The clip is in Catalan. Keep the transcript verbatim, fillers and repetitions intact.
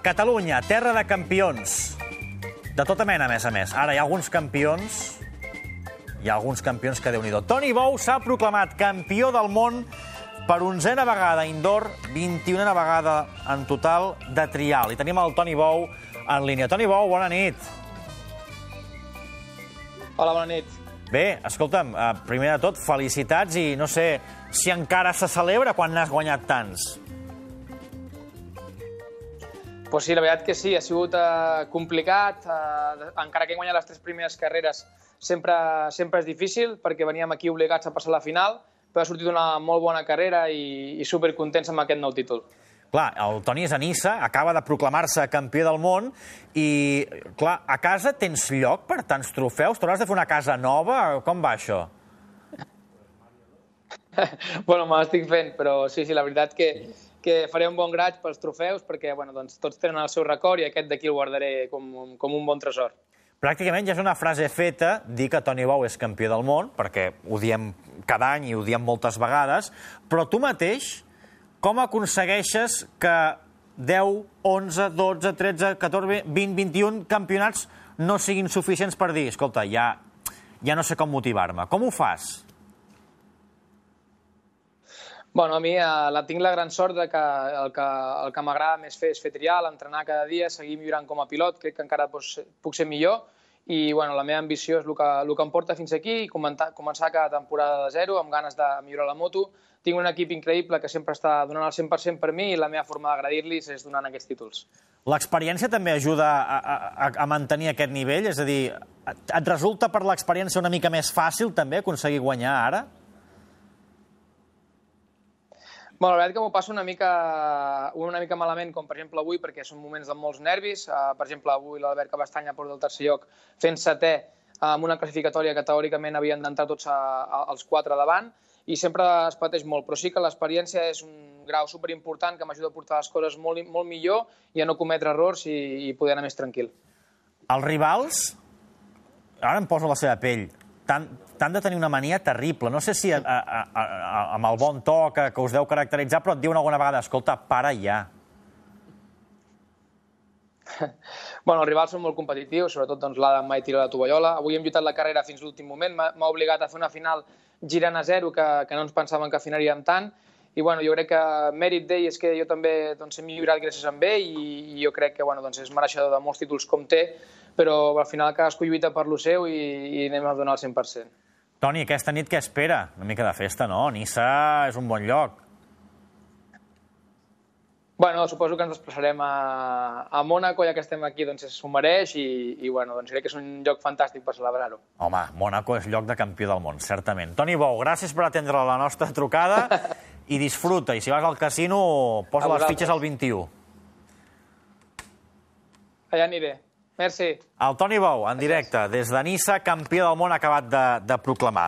Catalunya, terra de campions. De tota mena, a més a més. Ara, hi ha alguns campions... Hi ha alguns campions que Déu-n'hi-do. Toni Bou s'ha proclamat campió del món per onzena vegada indoor, vint-i-unena vegada en total de trial. I tenim el Toni Bou en línia. Toni Bou, bona nit. Hola, bona nit. Bé, escolta'm, primer de tot, felicitats i no sé si encara se celebra quan n'has guanyat tants. Pues sí, la veritat que sí, ha sigut eh, complicat. Eh, encara que he guanyat les tres primeres carreres, sempre, sempre és difícil, perquè veníem aquí obligats a passar la final, però ha sortit una molt bona carrera i, i supercontents amb aquest nou títol. Clar, el Toni és a Niça, acaba de proclamar-se campió del món i, clar, a casa tens lloc per tants trofeus? T'hauràs de fer una casa nova? Com va això? Bueno, me l'estic fent, però sí, sí, la veritat que, que faré un bon graig pels trofeus perquè bueno, doncs, tots tenen el seu record i aquest d'aquí el guardaré com, com un bon tresor. Pràcticament ja és una frase feta dir que Toni Bou és campió del món, perquè ho diem cada any i ho diem moltes vegades, però tu mateix com aconsegueixes que deu, onze, dotze, tretze, catorze, vint, vint-i-un campionats no siguin suficients per dir, escolta, ja, ja no sé com motivar-me. Com ho fas? Bueno, a mi eh, la tinc la gran sort de que el que, el que m'agrada més fer és fer trial, entrenar cada dia, seguir millorant com a pilot, crec que encara pues, puc ser millor i bueno, la meva ambició és el que, el que em porta fins aquí i començar, començar cada temporada de zero amb ganes de millorar la moto. Tinc un equip increïble que sempre està donant el cent per cent per mi i la meva forma d'agradir-los és donant aquests títols. L'experiència també ajuda a, a, a mantenir aquest nivell? És a dir, et resulta per l'experiència una mica més fàcil també aconseguir guanyar ara? Bueno, la veritat que m'ho passo una mica, una mica malament, com per exemple avui, perquè són moments de molts nervis. Uh, per exemple, avui l'Albert Cabestany ha portat el tercer lloc fent setè amb una classificatòria que teòricament havien d'entrar tots a, a, els quatre davant i sempre es pateix molt, però sí que l'experiència és un grau superimportant que m'ajuda a portar les coses molt, molt millor i a no cometre errors i, i poder anar més tranquil. Els rivals, ara em poso la seva pell, t'han de tenir una mania terrible. No sé si a, a, a, a, amb el bon to que, que us deu caracteritzar, però et diuen alguna vegada, escolta, para ja. Bueno, els rivals són molt competitius, sobretot doncs, l'Adam mai tira la tovallola. Avui hem lluitat la carrera fins l'últim moment, m'ha obligat a fer una final girant a zero, que, que no ens pensàvem que afinaríem tant, i bueno, jo crec que mèrit d'ell és que jo també doncs, he millorat gràcies a ell i, i jo crec que bueno, doncs, és mereixedor de molts títols com té, però al final cadascú lluita per lo seu i, i anem a donar el cent per cent. Toni, aquesta nit què espera? Una mica de festa, no? Niça és un bon lloc. Bueno, suposo que ens desplaçarem a, a Mònaco, ja que estem aquí, doncs s'ho mereix i, i bueno, doncs crec que és un lloc fantàstic per celebrar-ho. Home, Mònaco és lloc de campió del món, certament. Toni Bou, gràcies per atendre la nostra trucada i disfruta. I si vas al casino, posa les fitxes al vint-i-u. Allà aniré. Merci. El Toni Bou, en directe, des de Niça, campió del món acabat de, de proclamar.